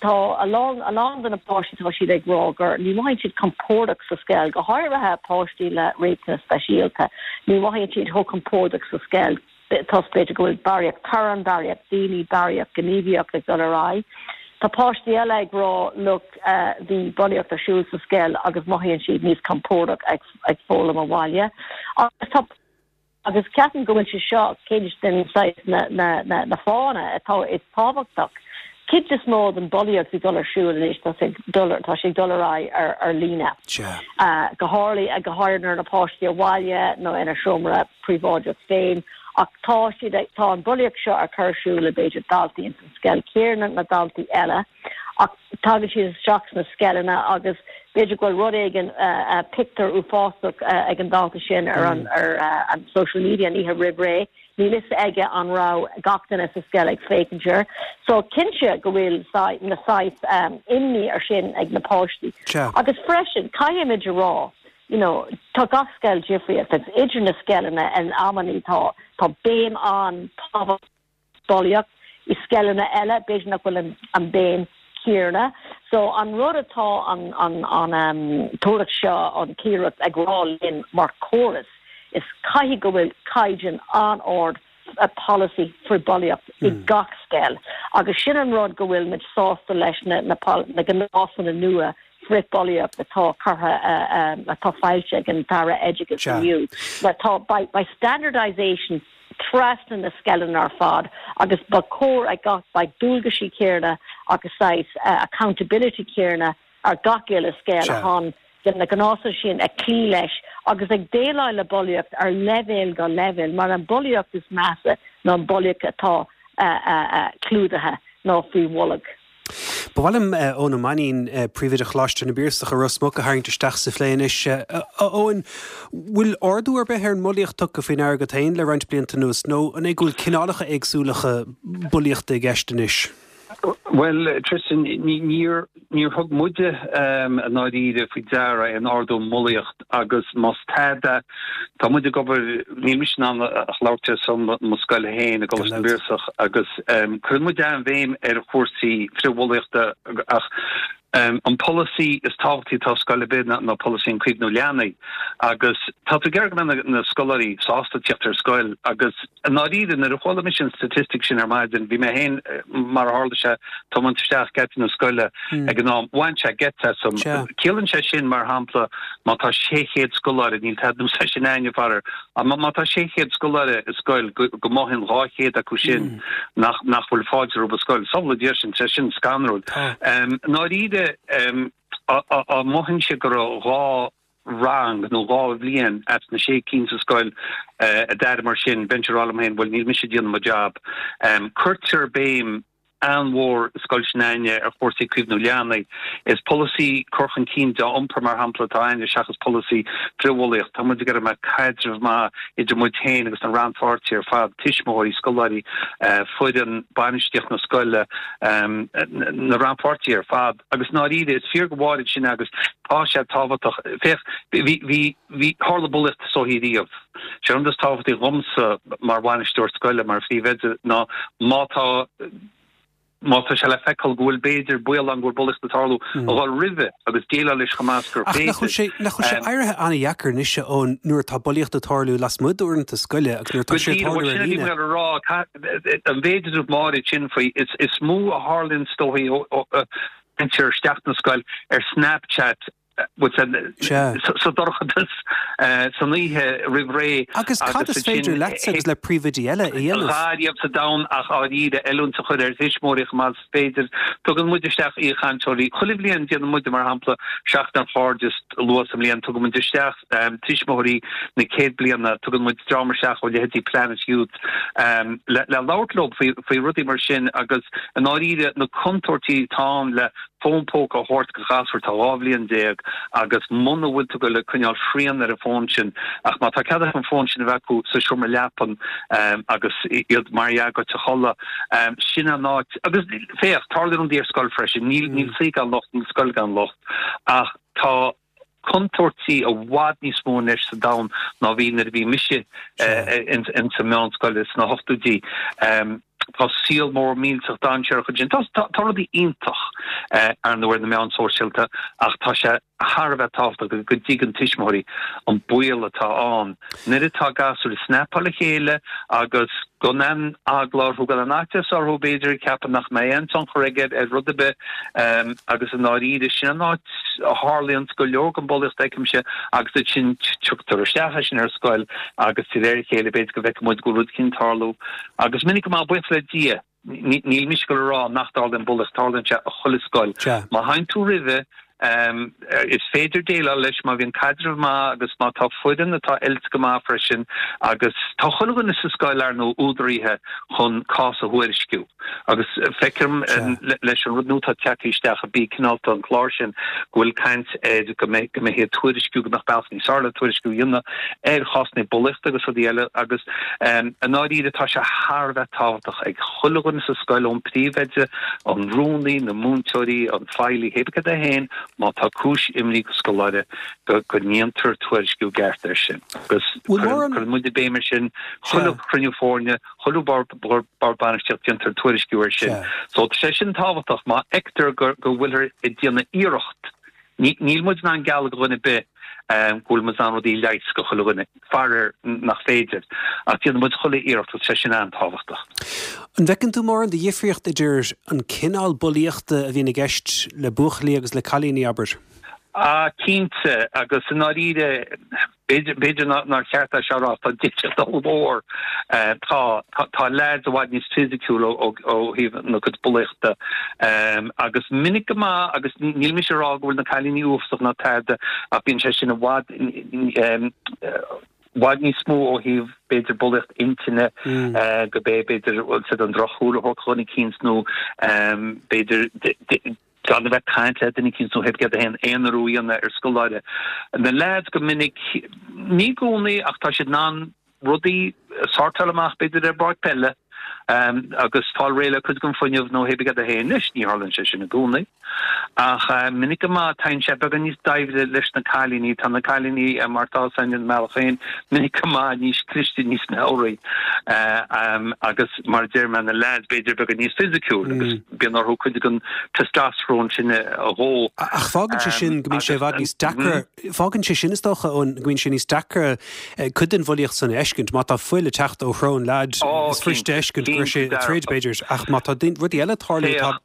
tá a lán a lán de na páistí tá siad ag rá gur ní mothaíonn siad compordach sa scoil go háirithe páistí le riachtanais speisialta ní mothaíonn siad chomh compordach sa scoil toisc b'fhéidir go bhfuil barraíocht torann barraíocht daoine barraíocht gníomhaíocht ag dul ar aghaidh. Tá páistí eile ag rá look uh, bhí bulaíocht ar siúl sa scoil agus mothaíonn siad níos compordach ag, ag foghlaim abhaile. Agus tá agus ceapaim go bhfuil sé seo ceann den saghas na, na, na, na fáthanna atá is tábhachtach. Cuid is mó den bulaíocht ag dul ar siúl anois tá sé dul tá sé dul ar aghaidh ar ar líne. Uh, go háirithe go háirithe na páistí abhaile nó ina seomra príobháideach féin ach tá siad tá an bulaíocht seo ar cur siúl le b'fhéidir daltaí in san scoil céanna na daltaí eile ach tagann siad isteach sna scoileanna agus b'fhéidir go bhfuil rud éigin uh, uh, pictiúr uafásach uh, ag an dalta sin ar an ar uh, an social media an oíche roimh ré. Níl fhios aige an raibh gach duine sa scoil ag féachaint air. So cinnte go bhfuil na saghas um, imní ar sin ag na páistí. Agus freisin caithfimid a rá you know, tá gach scoil difriúil agus idir na scoileanna in amannaí tá tá béim an-tábhachtach bulaíocht i scoileanna eile b'fhéidir nach bhfuil an, an béim céanna. So an rud atá an an an um, tuairisc seo an chigireacht ag rá linn mar chóras is caithfidh go bhfuil caighdeán an-ard a policy frithbhulaíocht mm. i gach scoil. Agus sin an rud go bhfuil muid sásta leis na, na, na gnásanna nua frithbhulaíocht atá curtha uh, um, atá foilsithe ag an tAire Oideachais inniu. Tá by, by standardization trasna na scoileanna ar fad agus ba chóir ag gach ba dualgaisí céanna agus saghas uh, accountability céanna ar gach uile scoil chun na gnásanna sin ag cloí leis agus ag déileáil le bulaíocht ar leibhéal go leibhéal mar an bulaíocht is measa ná an bulaíocht atá uh, uh, uh, clúdaithe nó faoi bholg. Ba mhaith liom Eoin Ó Mainnín príomhoide Choláiste na bPiarsach i Ros Muc a tharraingt isteach sa phlé anois. Eoin bhfuil ardú ar bith ar an mbulaíocht tugtha faoi ndeara agat féin le roinnt blianta anuas nó an é go bhfuil cineálacha éagsúla bulaíochta i gceist anois. Well Tristan níor níor thug muide um, i ndáiríre faoi deara an ardú mbulaíocht agus más tada tá muid ag obair níl mise in ann ach labhairt ar son mo scoil féin i gColáiste na bPiarsach agus um, cuireann muid an-bhéim ar chúrsaí frithbhulaíochta ach um, an polasaí is tábhachtaí atá scoil ar bith ná polasaí an caomhnú leanaí agus tá tú ag iarraidh go mbeidh na scoláirí sásta teacht ar scoil agus i ndáiríre nuair a chuala mise an statistic sin ar maidin bhí mé féin mar a tharla sé tiomáint isteach geata na scoile hmm. ag an am bhain sé geit asam ciallaíonn sé sin mar shampla má tá sé chéad scoláire níl tada sé sin aine far má tá sé chéad scoláire i scoil go mothaíonn dhá chéad acu sin hmm. nach nach bhfuil fáilte roimh scoil samhlaigh é sin sé sin scanrúil um, ndáiríre um, a mothaíonn sé go raibh dhá rang nó dhá bhliain as na sé cinn sa scoil uh, a deir mar sin b'fhéidir rá féin bhuel níl mise ag déanamh mo job. Um, Cuirtear béim an-mhór scoil s'againne ar chúrsaí caomhnú leanaí is polasaí cur chun cinn dea-iompar mar shampla atá againne seachas polasaí frithbhulaíocht Tá muid ag iarraidh go mbeadh caidreamh maith idir muid féin agus na rannpháirtithe ar fad tuismitheoirí scoláirí uh, foireann bainistíocht na scoile um, na rannpháirtithe ar fad agus i ndáiríre is fíor go bhfuil sin agus tá sé tábhachtach féach bhí bhí bhí tharla bulaíocht so riamh. Sé an is tábhachtaí dhomsa mar bhainisteoir scoile mar phríomhoide ná má tá má tá sé le feiceáil go bhfuil b'fhéidir baol ann go bhfuil bulaíocht ag tarlú a dhul roimhe agus déileáil leis chomh mall gur féidir. Nach bhfuil sé éirithe an-deacair anois ón nuair atá bulaíocht ag tarlú lasmuigh d'uaireanta scoile agus nuair atá sé ag tarlú ar líne. Rá an mhéid is máid sin faoi is is mó a tharlaíonn is dóichí isteach na scoil ar Snapchat sa dorchadas san oíche roimh ré. Agus cad is féidir leatsa agus le príomhoidí eile a dhéanamh? A dhath ariamh sa domhan ach dáiríre oiliúint a chur ar thuismitheoirí chomh maith is féidir. Tugann muid isteach aoichainteoirí chuile bhliain, déanann muide mar shampla Seachtain an Chairdis luath sa mbliain, tugann muid isteach tuismitheoirí na céad bliana, tugann muid dream isteach ó leithéidí Planet Youth le labhairt leo faoi rudaí mar sin agus i ndáiríre na contúirtí atá ann le fón póca a thabhairt go ghasúr atá dhá bhliain déag agus muna bhfuil tú ag goil a coinneáil srian ar an bhfón sin ach má tá cead acu an fón sin a bheith acu sa seomra leapan agus iad mar dhea ag goil a chodladh, sin an áit agus féach, tarlaíonn rudaí ar scoil freisin, níl níl saoi gan locht, níl scoil gan locht ach tá contúirtí i bhfad níos mó anois sa domhan ná bhí nuair a bhí mise in sa meánscoil sna hochtóidí. Tá saol mór millteach dainséarach ansin. Tá tá rudaí iontach ar ndóigh ar na meáin sóisialta ach tá sé thar a bheith tábhachtach go dtuigeann tuismitheoirí an baol atá ann nuair atá gasúir ag snapáil a chéile agus gan aon eagla orthu, gan aon fhaitíos orthu b'fhéidir, ag ceapadh nach mbeidh aon tionchar aige ar rud ar bith agus i ndáiríre sin an áit a tharlaíonns go leor den bhulaíocht feicimse agus ansin tugtar isteach é sin ar scoil agus de réir a chéile b'fhéidir go bhfeicfidh muid go bhfuil rud eicínt ag tarlú agus minic go maith buíochas le Dia níl mise ag goil a rá nach dtarlaíonn bulaíocht, tarlaíonn sé i chuile scoil. Má théann tú roimhe Is féidir déileáil leis má bhíonn caidreamh maith agus má tá foireann atá oilte go maith freisin agus tá chuile dhuine sa scoil ar ndóigh údaraithe chun cás a thuairisciú agus feicim leis an rud nua atá tagtha isteach a Bí Cineálta an clár sin go bhfuil caint air go mbeidh go mbeifí ag tuairisciú go mbeadh bealach níos fearr le tuairisciú a dhéanamh ar chásanna bulaíochta agus rudaí eile agus i ndáiríre tá sé thar a bheith tábhachtach ag chuile dhuine sa scoil ón príomhoide, an rúnaí, na múinteoirí, an feighlí, hé bith cad é féin, má tá cúis imní ag scoláire go go ndéantar tuairisciú ceart air sin. Agus cuireann muide béim air sin, chuile chruinniú foirne, chuile bhord bainistíochta déantar tuairisciú air sin. So tá sé sin tábhachtach má fheictear go go bhfuilthear ag déanamh iarracht. Níl muid in ann gealladh do dhuine ar bith go bhfuil muid in ann rudaí a leigheas do chuile dhuine, faraor nach féidir, ach déanann muid chuile iarracht agus tá sé sin an-tábhachtach. An bhfeiceann tú mórán de dhifríocht idir an cineál bulaíochta a bhíonn i gceist le buachaillí agus le cailíní, abair? Ah, cinnte, agus i ndáiríre, B'fhéidir nár cheart é seo a rá, tá difríocht ollmhór. Tá, tá leaids i bhfad níos fisiciúil ó thaobh na cuid bulaíochta agus minic go maith, agus níl mise ag rá go bhfuil na cailíní uafásach ná tada ach bíonn sé sin i bhfad, i bhfad níos mó ó thaobh b'fhéidir bulaíocht intinne, go bé b'fhéidir bhfuil siad an drochshúil a thabhairt do dhuine eicínt nó b'fhéidir gan a bheith ag caint le duine eicínt nó hé bith céard é féin, aonarú a dhéanamh ar scoláire. Na leaids go minic, ní i gcónaí ach tá siad in ann rudaí a shórtáil amach b'fhéidir ar bpáirc peile agus fáil réidh le cuid den fuinneamh nó hé bith céard é féin. Anois ní tharlaíonn sé sin i gcónaí ach minic go maith téann sé beagán níos doimhne leis na cailíní. Tá na cailíní mar atá a fhios againn i mbealach féin minic go maith níos cliste, níos meabhraí agus mar a deir mé na leaids b'fhéidir beagán níos fisiciúil agus bíonn orthu cuid den testosterone sin a dhó. Ach fágann sé sin go mbíonn sé i bhfad níos deacra, fágann sé sin is dócha go mbíonn sé níos deacra cuid den bhulaíocht san a fheiscint. Má tá fuil ag teacht ó shrón leaid, is fuiriste a fheiscint go raibh sé ag troid b'fhéidir, ach má tá rudaí eile ag tarlú tá.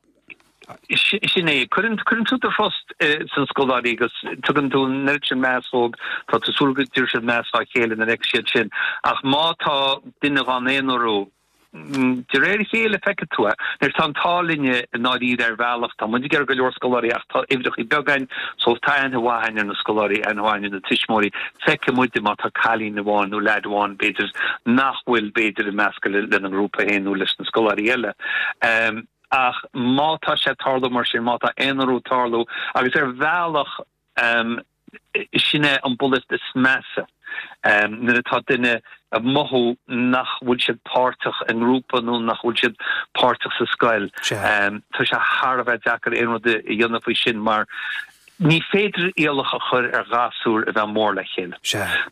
Sin é. Cuireann tú do thrust sna scoláirí agus tugann tú an oiread sin meas dóibh, tá tú ag súil go dtabharfaidh siad meas dá chéile nuair a fheicfidh siad sin. Ach má tá duine dhá n-aonarú, De réir a chéile feicfidh tú é. Anois tá an t-ádh linne i ndáiríre ar bhealach, tá muid ag iarraidh go leor scoláirí ach tá uimhreachaí beaga againn so tá aithne mhaith againn ar na scoláirí, aithne mhaith againn ar na tuismitheoirí. Feicfidh muide má tá cailín amháin nó leaid amháin b'fhéidir nach bhfuil b'fhéidir ag meascadh lena ngrúpa féin nó leis na scoláirí eile. Ach má tá sé ag tarlú mar sin, má tá aonarú ag tarlú agus ar bhealach, Sin é an bulaíocht is measa, nuair atá duine ag mothú nach bhfuil siad páirteach i ngrúpa nó nach bhfuil siad páirteach sa scoil. Tá sé thar a bheith deacair aon rud a dhéanamh faoi sin mar ní féidir iallach a chur ar ghasúir a bheith mór le chéile.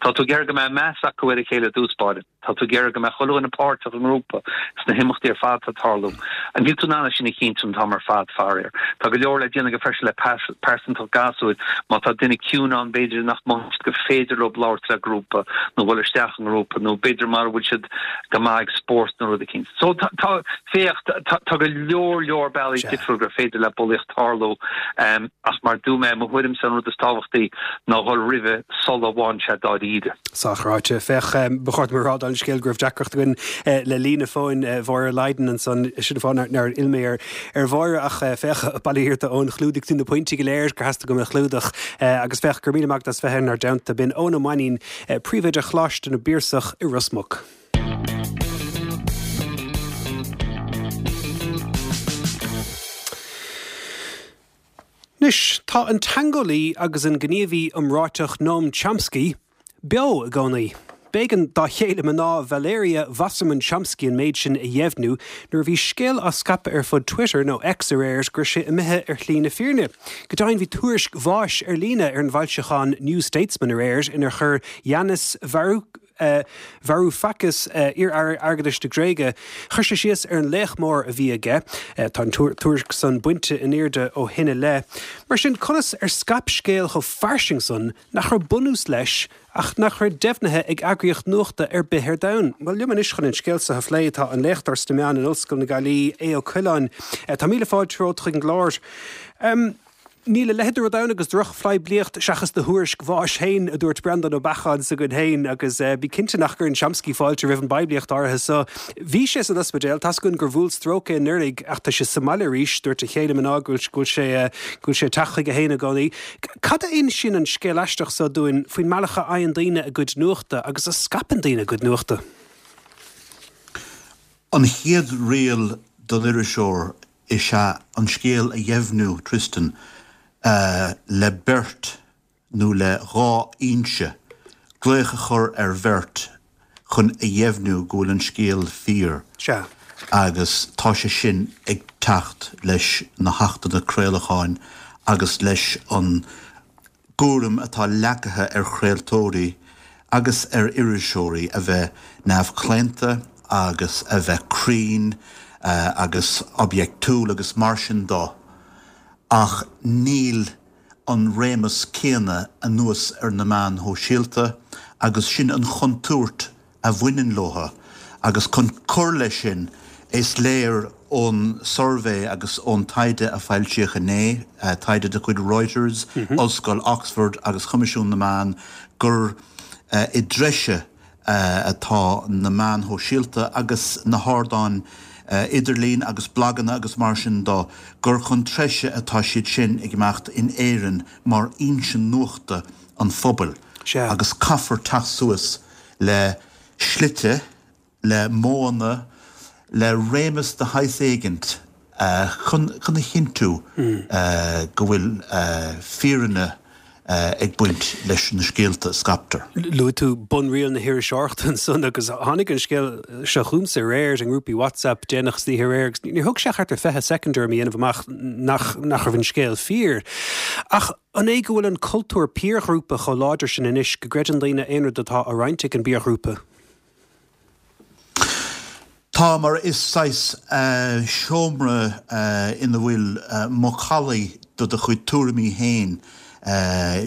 Tá tú ag iarraidh go mbeadh meas acu ar a chéile i dtús báire. Tá tú ag iarraidh go mbeadh chuile dhuine páirteach i ngrúpa, sna himeachtaí ar fad atá ag tarlú. Níl tú in ann é sin a chinntiú an t-am ar fad, faraor. Tá go leor le déanamh aige freisin le pearsantacht gasúir. Má tá duine ciúin ann, b'fhéidir nach mothaíonn siad gur féidir leo labhairt le grúpa nó dhul isteach i ngrúpa nó b'fhéidir mara bhfuil siad go maith ag spórt nó rud eicínt. So tá, tá, féach, tá, tá go leor leor bealaí difriúil gur féidir le bulaíocht tarlú ach mar a dúirt mé, mo thuairimse an rud is tábhachtaí ná dhul roimhe sula bhfaigheann sé dáiríre. Sách ráite. Féach, ba chóir dom a rá dála an scéil go raibh deacracht againn le líne fóin Mháire Lydon ansan, sin an fáth nár fhill mé ar Mháire ach féach, bail ó Dhia ort a Eoin, chlúdaigh tú na pointí go léir gur theastaigh uaim a chlúdach agus féach, go raibh míle maith agat as bheith inár dteannta. B'in Eoin Ó Mainnín, Príomhoide Choláiste na bPiarsach i Ros Muc. Anois, tá an teangeolaí agus an gníomhaí iomráiteach Noam Chomsky beo i gcónaí. B'éigean dá chéile mná Valeria Wasserman Chomsky an méid sin a dheimhniú nuair a bhí scéal á scaipeadh ar fud Twitter, nó X aréir, go raibh sé imithe ar shlí na fírinne. Go deimhin bhí tuairisc bháis ar líne ar an bhfoilseachán New Statesman aréir inar chuir Yanis Varoufakis, iar-aire airgeadais na Gréige, chuir sé síos ar an laoch mór a bhí aige. Tá an tuairisc san bainte in airde ó shin i leith. Mar sin, conas ar scaip scéal chomh fairsing san nach raibh bunús leis ach nach raibh deimhnithe ag eagraíocht nuachta ar bith ar domhan? Bhuel, liom anois chun an scéal seo a phlé tá an léachtóir sna meáin in Ollscoil na Gaillimhe, Aodh Ó Coileáin. Tá míle fáilte romhat chuig an gclár. Níl a leithéid de rud ann agus drochphoiblíocht seachas do thuairisc bháis féin, a dúirt Breandán Ó Beacháin s'againn féin, agus bí cinnte nach gcuireann Chomsky fáilte roimh an bpoiblíocht áirithe so. Bhí sé san ospidéal, tá's againn gur bhuail stróc é anuraidh ach tá sé sa mbaile arís, dúirt a chéile mná go bhfuil sé go bhfuil sé ag teacht chuige féin i gcónaí. Cad a insíonn an scéal aisteach so dúinn faoin mbealach a fhaigheann daoine a gcuid nuachta agus a scaipeann daoine a gcuid nuachta? An chéad riail don iriseoir is ea an scéal a dheimhniú, Tristan, le beirt nó le dhá fhoinse, glaoch a chur ar bheirt chun a dheimhniú go bhfuil an scéal fíor. Sea. Agus tá sé sin ag teacht leis na hachtanna craolacháin agus leis an gcúram atá leagtha ar chraoltóirí agus ar iriseoirí a bheith neamhchlaonta agus a bheith cruinn agus oibiachtúil agus mar sin de, ach níl an réimeas céanna anuas ar na meáin shóisialta agus sin an chontúirt a bhaineann leo agus chun cur leis sin is léir ón suirbhé agus ón taighde a foilsíodh inné, taighde de chuid Reuters, Ollscoil Oxford agus Choimisiún na Meán, gur i dtreise atá na meáin shóisialta agus na hardáin idirlín agus blaganna agus mar sin de, gur chun treise atá siad sin ag imeacht in Éirinn mar fhoinse nuachta an phobail agus caithfear teacht suas le slite, le modhanna, le réimeas de shaghas éigint chun a chinntiú go bhfuil fírinne ag baint leis na scéalta a scaiptear. Luaigh tú bunriail na hiriseoireachta ansan agus tháinig an scéal seo chugamsa aréir i ngrúpaí WhatsApp déanach san oíche aréir agus níor thóg sé ach thart ar fiche soicind orm a dhéanamh amach nach nach raibh an scéal fíor. Ach an é go bhfuil an cultúr piarghrúpa chomh láidir sin anois go gcreideann daoine aon rud atá á roinnt ag an bpiarghrúpa? Tá, mar is saghas seomra ina bhfuil macallaí de do chuid tuairimí féin.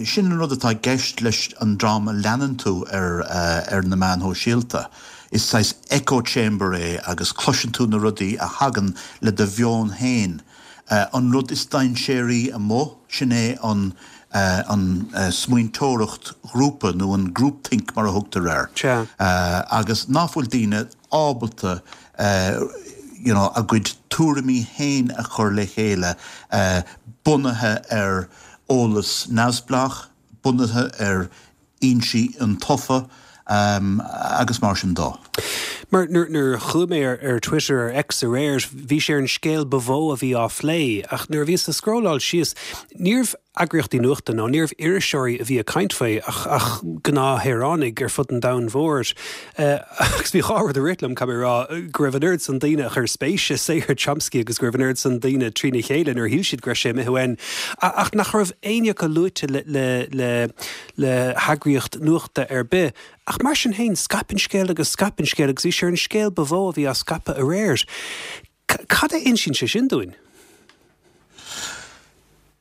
Sin an rud atá i gceist leis an dream a leanann tú ar ar na meáin shóisialta. Is saghas echo chamber é agus cloiseann tú na rudaí a thagann le do mheon féin. An rud is dainséaraí amuigh, sin é an an smaointeoireacht ghrúpa nó an groupthink mar a thugtar air. Agus ná fuil daoine ábalta you know a gcuid tuairimí féin a chur le chéile bunaithe ar eolas neamhspleách, bunaithe ar fhoinsí iontaofa agus mar sin de. Mar nuair a chuaigh mé ar Twitter, ar X aréir, bhí sé ar an scéal ba mhó a bhí á phlé, ach nuair a bhíos ag scrolláil síos, níorbh eagraíochtaí nuachta nó níorbh iriseoirí a bhí ag caint faoi ach ach gnáthshaoránaigh ar fud an domhain mhóir. Agus bhí dhá rud ag rith liom, caithfidh mé a rá, go raibh an oiread san daoine a chuir spéis i saothar Chomsky agus go raibh an oiread san daoine trína chéile nuair a shíl siad go raibh sé imithe uainn, ach nach raibh éinne acu luaite le le le le heagraíocht nuachta ar bith. Ach mar sin féin, scaip an scéal agus scaip an scéal agus bhí sé ar an scéal ba mhó a bhí á scaipeadh aréir. Cad a insíonn sé sin dúinn?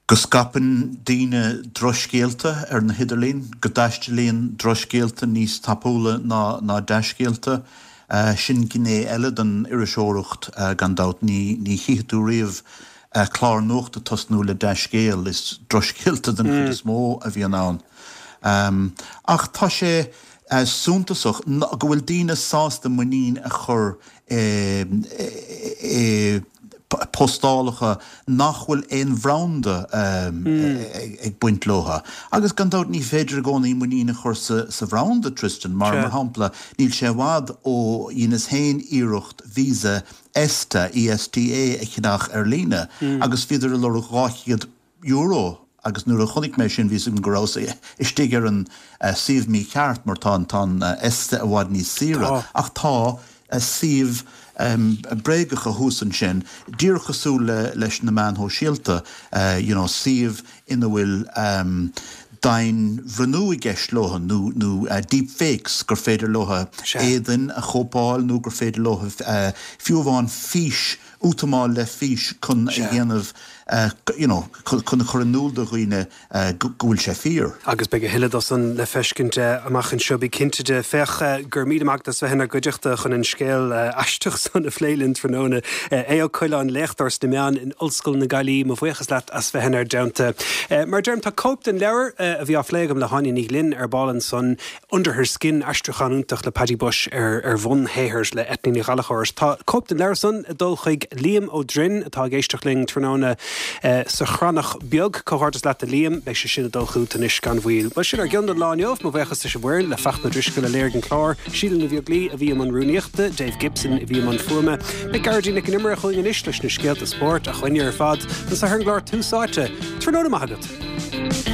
Go scaipeann daoine drochscéalta ar na hidirlíon, go dtaistealaíonn drochscéalta níos tapúla ná ná dea-scéalta. Sin gné eile den iriseoireacht gan dabht. Ní ní chífidh tú riamh clár nuachta tosnú le dea-scéal, is drochscéalta den chuid is mó a bhíonn ann. Ach tá sé suntasach go bhfuil daoine sásta muinín a chur i postálacha nach bhfuil aon bhranda ag baint leo. Agus gan dabht ní féidir i gcónaí muinín a chur sa bhranda, Tristan, mar mar shampla níl sé i bhfad ó dheineas féin iarracht visa ESTA, E S T A, a cheannach ar líne agus bhíodar ag lorg dhá chéad euro agus nuair a chonaic mé sin bhí a fhios agam go rabhas istigh ar an suíomh mícheart mar tá tá an ESTA i bhfad níos saoire. Ach tá suíomh bréagacha thuas ansin, díreach cosúil le leis na meáin shóisialta, you know suíomh ina bhfuil domhainbhrionnú i gceist leo nó nó deep fakes gur féidir leo éadain a chóipeáil nó gur féidir leo fiú amháin fís útamáil le fís chun a dhéanamh you know chun a chur in iúl do dhaoine go bhfuil sé fíor. Agus beidh a thuilleadh de san le feiscint amach anseo bí cinnte de. Féach gur míle maith as bheith inár gcuideachta chun an scéal aisteach san a phlé linn tráthnóna. Aodh Ó Coileáin, léachtóir sna meáin in Ollscoil na Gaillimhe, mo bhuíochas leat as bheith inár dteannta. Mar deirim tá cóip den leabhar a bhí á phlé agam le hÁine Ní Ghlinn ar ball ansan Under Her Skin aistriúchán iontach le Paddy Bushe ar ar bhunshaothar le Eithne Ní Ghallchóir. Tá cóip den leabhar san ag dul chuig Liam Ó Droin atá ag éisteacht linn tráthnóna sa Chrannach Beag comhghairdeas leat a Liam beidh sé sin ag dul chugat anois gan mhoill. Bhuel sin ár gcion don lá inniu mo bhuíochas leis an bhfoireann le Fachtna Drisceoil a léirigh an clár, Síle Ní Bheaglaoí a bhí i mbun rúnaíochta, Dave Gibson a bhí i mbun fuaime, Beidh Gearóidín Nic an Iomaire chugainn anois leis na scéalta spóirt a choinne ar fad an sa ar an gclár Tús Áite. Tráthnóna maith agat.